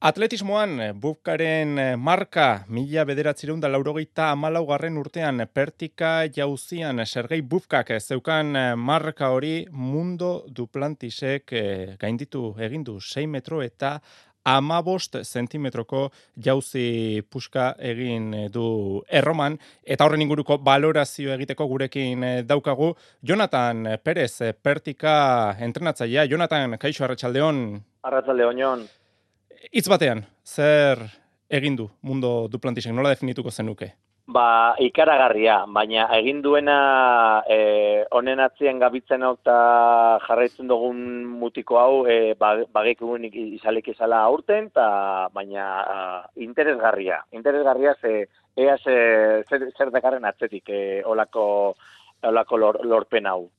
Atletismoan, Bufkaren marka 1984 urtean Pertika jauzian Sergei Bufkak zeukan marka hori Mundo Duplantisek gainditu egindu 6 metro eta 15 zentimetroko jauzi puska egin du Erroman, eta horren inguruko balorazio egiteko gurekin daukagu Jonathan Perez, Pertika entrenatzailea. Jonathan, kaixo, arratsaldeon. Arratsaldeon, Jon. Hitz batean, zer egin du Mundo Duplantisek, nola definituko zenuke? Ikaragarria, baina egin duena honen atzien gabitzen hau eta jarraitzen dugun mutiko hau bagekun izalik izala aurten, baina interesgarria zer dakarren atzetik olako lorpen hau.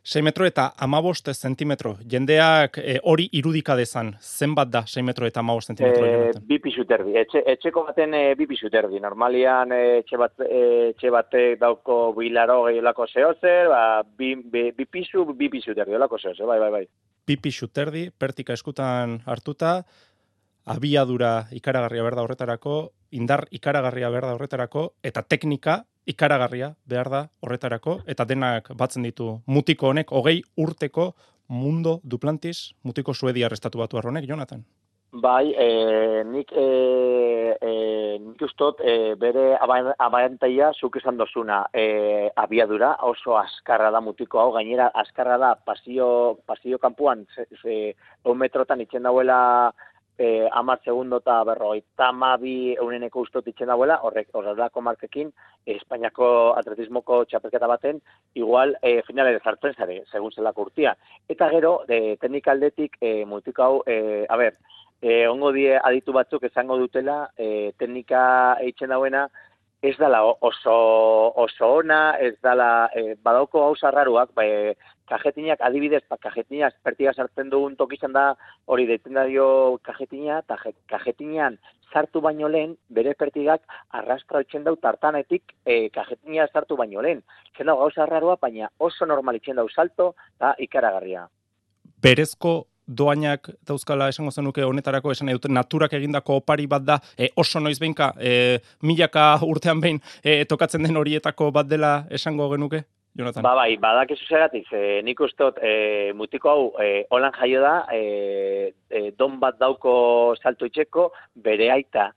6 metro eta 15 zentimetro. Jendeak hori irudika dezan. Zenbat da 6 metro eta 15 zentimetro? 2 pisu terdi. Etxeko baten 2 pisu terdi. Normalian etxe bate dauko bilaro gehiolako zehozer, 2 pisu terdi, olako zehozer, bai. 2 pisu terdi, Pertika eskutan hartuta, abiadura ikaragarria behar da horretarako, indar ikaragarria behar da horretarako, eta teknika ikaragarria behar da horretarako, eta denak batzen ditu mutiko honek, 20 urteko Mundo Duplantis, mutiko suediar estatu batu arronek, Jonathan? Bai, nik ustot bere abantaia zuk esan dozuna abiadura, oso askarra da mutiko hau, gainera askarra da pasio kanpuan 1 metrotan itxen dauela 10 segundo eta 52 euneneko ustot itxen dauela, horrelako markekin, Espainiako atletismoko txapelketa baten, igual finalera zartzen zare, segun zelako urtia. Eta gero, teknikaldetik mutiko hau, ongo die aditu batzuk esango dutela, teknika eitzen dauena, ez dala oso ona, ez dala, badauko gauza raruak, kajetinak, adibidez, kajetinak Pertika sartzen dugun tokizan da, hori deitzen da dio kajetina, eta kajetinan sartu baino lehen, bere Pertikak arrastra itxen dau tartanetik kajetina sartu baino lehen. Itxen dau gauza rarua, baina oso normal itxen dau salto, eta ikaragarria. Berezko doainak dauzkala esango zenuke honetarako, esan nahi dute naturak egindako opari bat da, oso noiz behinka, milaka urtean behin tokatzen den horietako bat dela esango genuke, Jonathan? Bai, badakizu zeratik, nik ustot mutiko hau holan jaio da, don bat dauko salto itxeko, bere aita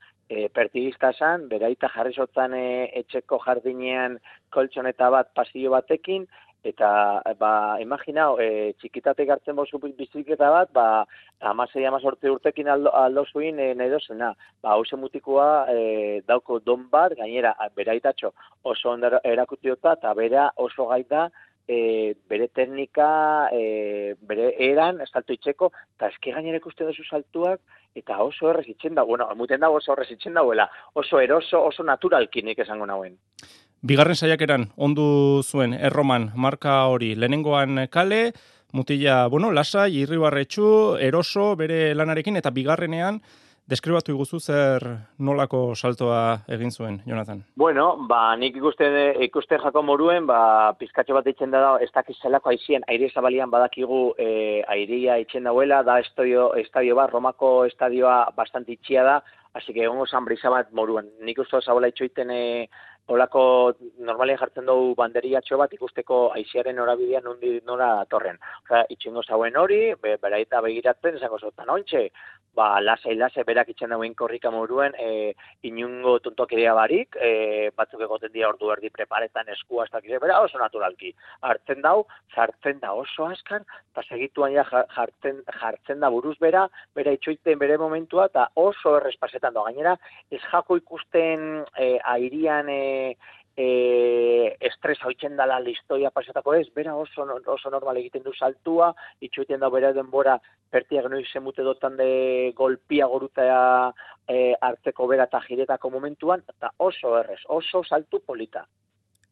pertigista zan, bere aita jarri zotzan etxeko jardinean koltxoneta bat pasillo batekin, eta, imaginau, txikitatek hartzen bozu bizikleta bat, 16-18 urtekin aldo zuin nahi dozena. Hauze mutikoa dauko don bat, gainera, bere aitatxo oso ondo erakutiota, eta bera oso gaita, bere teknika, bere eran, salto itxeko, eta eski gainera ikusten duzu saltuak, eta oso errez itxen dago, muten dago oso errez itxen dagoela, oso eroso, oso naturalkinik esango nauen. Bigarren saiakeran ondu zuen Erroman marka hori, lehenengoan kale, mutila, lasai, irribarretxu, eroso, bere lanarekin, eta bigarrenean, deskribatu iguzu zer nolako saltoa egin zuen, Jonathan? Nik ikuste jako moruen, pizkatxo bat itxen da, ez dakiz zelako aizien, aire zabalian badakigu airea itxen dauela, da estadio bat, Romako estadioa bastante itxia da, así que egongo zan brisa bat moruen. Nik uste zabola itxoiten olako normalien jartzen dugu banderiatxo bat ikusteko aiziaren norabidean nora torren. Itxengo zauen hori, beraita begiratzen, esango zotan ontxe, lasai, berak itxen dauen korrika moruen, inungo tontokeria barik, batzuk egoten dira ordu erdi preparetan eskua, bera oso naturalki. Hartzen dau, zartzen da oso askar, eta segituan jartzen da buruz bera itxoiten bere momentua, eta oso errespasetan da. Gainera, ez jako ikusten airian estres hauitzen dala listoia pasatako ez, bera oso normal egiten du saltua, itxoiten da bera denbora Pertiak noiz zemute dotan de golpia goruta hartzeko bera eta jiretako momentuan, eta oso errez, oso saltu polita.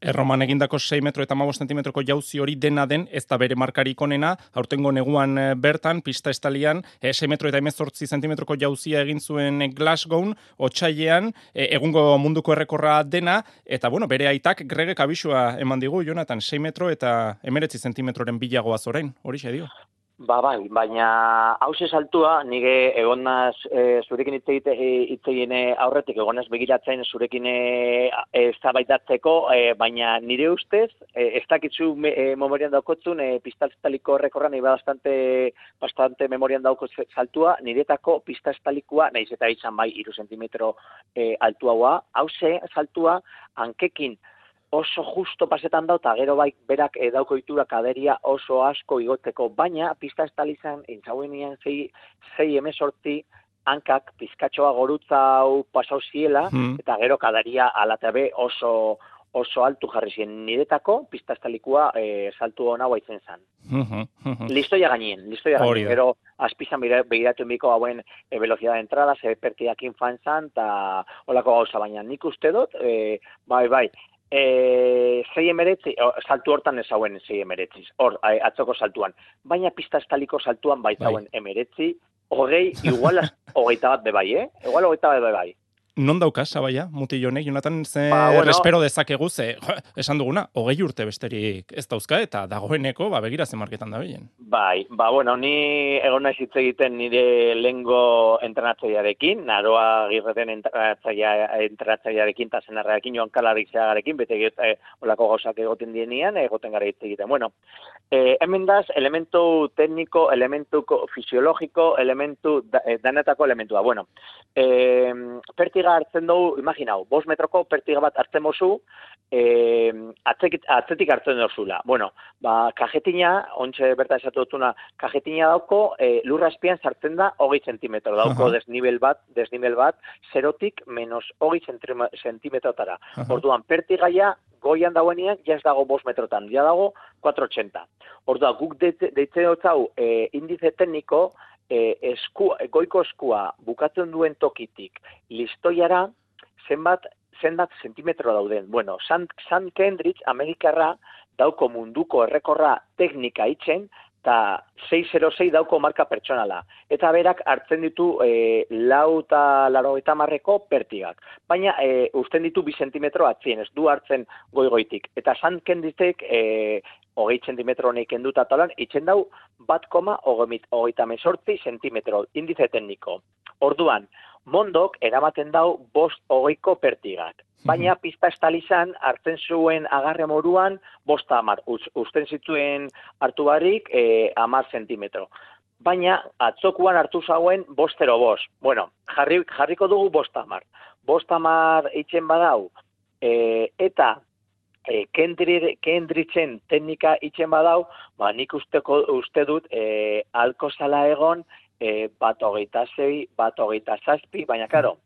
Erroman egindako 6 metro eta 15 zentimetroko jauzi hori dena den, ez da bere markarik onena, aurtengo neguan bertan, pista estalian, 6 metro eta 18 zentimetroko jauzia egin zuen Glasgown, otsailean, egungo munduko errekorra dena, eta bere aitak Gregek abisua eman digu, Jonathan, 6 metro eta 19 zentimetroren bilagoaz orain, hori dio. Bai, baina hause saltua, nire egonaz zurekin hitz egin aurretik, egonaz begiratzen zurekin eztabaidatzeko, baina nire ustez, ez dakitzu memorian daukotzun, pista estaliko rekorra nire bastante memorian dauko saltua, niretako pista estalikoa, nahiz eta izan bai 3 zentimetro altuagoa, hause saltua, hankekin, oso justo pasetan dau, eta gero bai berak dauko itura kaderia oso asko igoteko, baina pista estalizan, intzauenean 6-18 hankak pizkatxoa gorutza hau pasau ziela, eta gero kaderia alatabe oso altu jarri ziren niretako, pista estalikua saltu hona baitzen zen. Listoia gainien, gero azpizan begiratu enbiko hauen velocidad de entrada, ze pertiakin fan zan, eta holako gauza, baina nik uste dut, bai, 6-19, saltu hortan ez hauen 6-19, hor, atzoko saltuan. Baina pista estaliko saltuan baitzauen 19, igual 21 bebai, Igual 21 bebai. Non daukas, Sabaia, mutilonek, Jonatan, bueno, espero dezakegu, esan duguna, 20 urte besterik ez dauzka, eta dagoeneko, begira ze marketan da bilen. Bai, bueno, ni egon naiz hitz egiten nire lehengo entrenatzailearekin, Naroa Girreten entrenatzailearekin, eta zenarrearekin, Joan Kalarik zeagarekin, bete olako gauzak egoten dienean, egoten gara hitz egiten. Bueno, hemen daz, elementu tekniko, elementu fisiologiko, elementu, danetako elementua. Bueno, pertiga hartzen dugu, imaginau, 5 metroko pertiga bat hartzen mozu, atzetik hartzen duzula. Bueno, kajetina, ontxe berta esatu dutuna, kajetina dauko, lurra azpian sartzen da 20 zentimetro, dauko desnivel bat, 0tik menos 20 zentimetrotara. Orduan, pertigaia, goian dauenean, ja ez dago 5 metrotan, ja dago 480. Orduan, guk deitzen dut hau, indize tekniko, goiko eskua bukatzen duen tokitik listoiara zenbat zentimetro dauden. Bueno, Sam Kendrick, Amerikarra, dauko munduko errekorra teknika itzen, eta 606 dauko marka pertsonala. Eta berak hartzen ditu 480 pertigak. Baina usten ditu 2 zentimetro atzien, ez du hartzen goigoitik. Eta Sam Kendrickek 20 zentimetro honek kenduta talan, itzen dau 1,38 zentimetro, indize tekniko. Orduan, mondok eramaten dau 5-20ko pertigak. Baina pista estalizan hartzen zuen agarre moruan 5-10. Usten zituen hartu barik 10 zentimetro. Baina atzokuan hartu zauen 5-0-5. Bueno, jarriko dugu 5-10. 5-10 itzen badau, eta Kendricken teknika itzen badau, nik uste dut alko zala egon 1,26, 1,27, baina karo,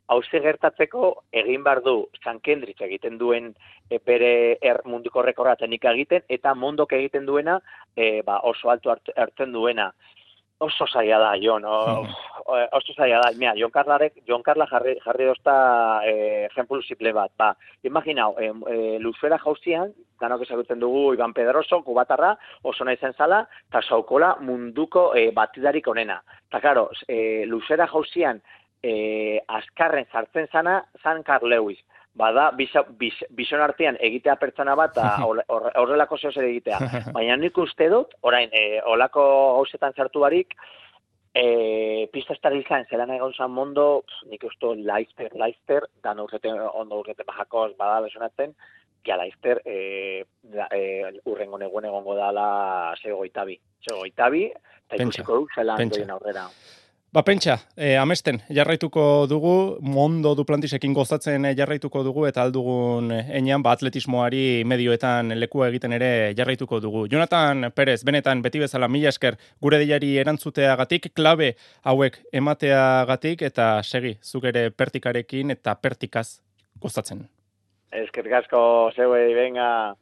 hauze gertatzeko egin behar du San Kendrick egiten duen bere munduko rekorra teknika egiten, eta mondok egiten duena oso alto hartzen duena. Oso zaila da, Jon, oso zaila da. Mira, Jon Karla jarri dozta ejemplu simple bat. Imaginau, luzera jauzian, danok ezagutzen dugu Iban Pedroso, kubatarra, oso nahi zen zala, eta saukola munduko batidarik onena. Eta, karo, luzera jauzian azkarren sartzen zana, zan Carl Lewis. Bada, bizon artean egitea pertsona bat, horrelako zehoz ere egitea. Baina nik uste dut, orain, olako gauzetan sartu barik, pista estabilizan zelan egon zan mondo, nik uste Leicester, dan ondo urrete bajakoz bada besonatzen, ja Leicester urrengo neguen egongo dala zegoitabi, eta ikusiko du zelan doien aurrera. Pentsa, amesten jarraituko dugu, Mondo Duplantisekin gozatzen jarraituko dugu, eta aldugun enean, atletismoari medioetan lekua egiten ere jarraituko dugu. Jonatan Perez, benetan beti bezala mila esker gure deiari erantzuteagatik, klabe hauek emateagatik, eta segi, zuk ere pertikarekin eta pertikaz gozatzen. Eskerrik asko, zeuei, venga.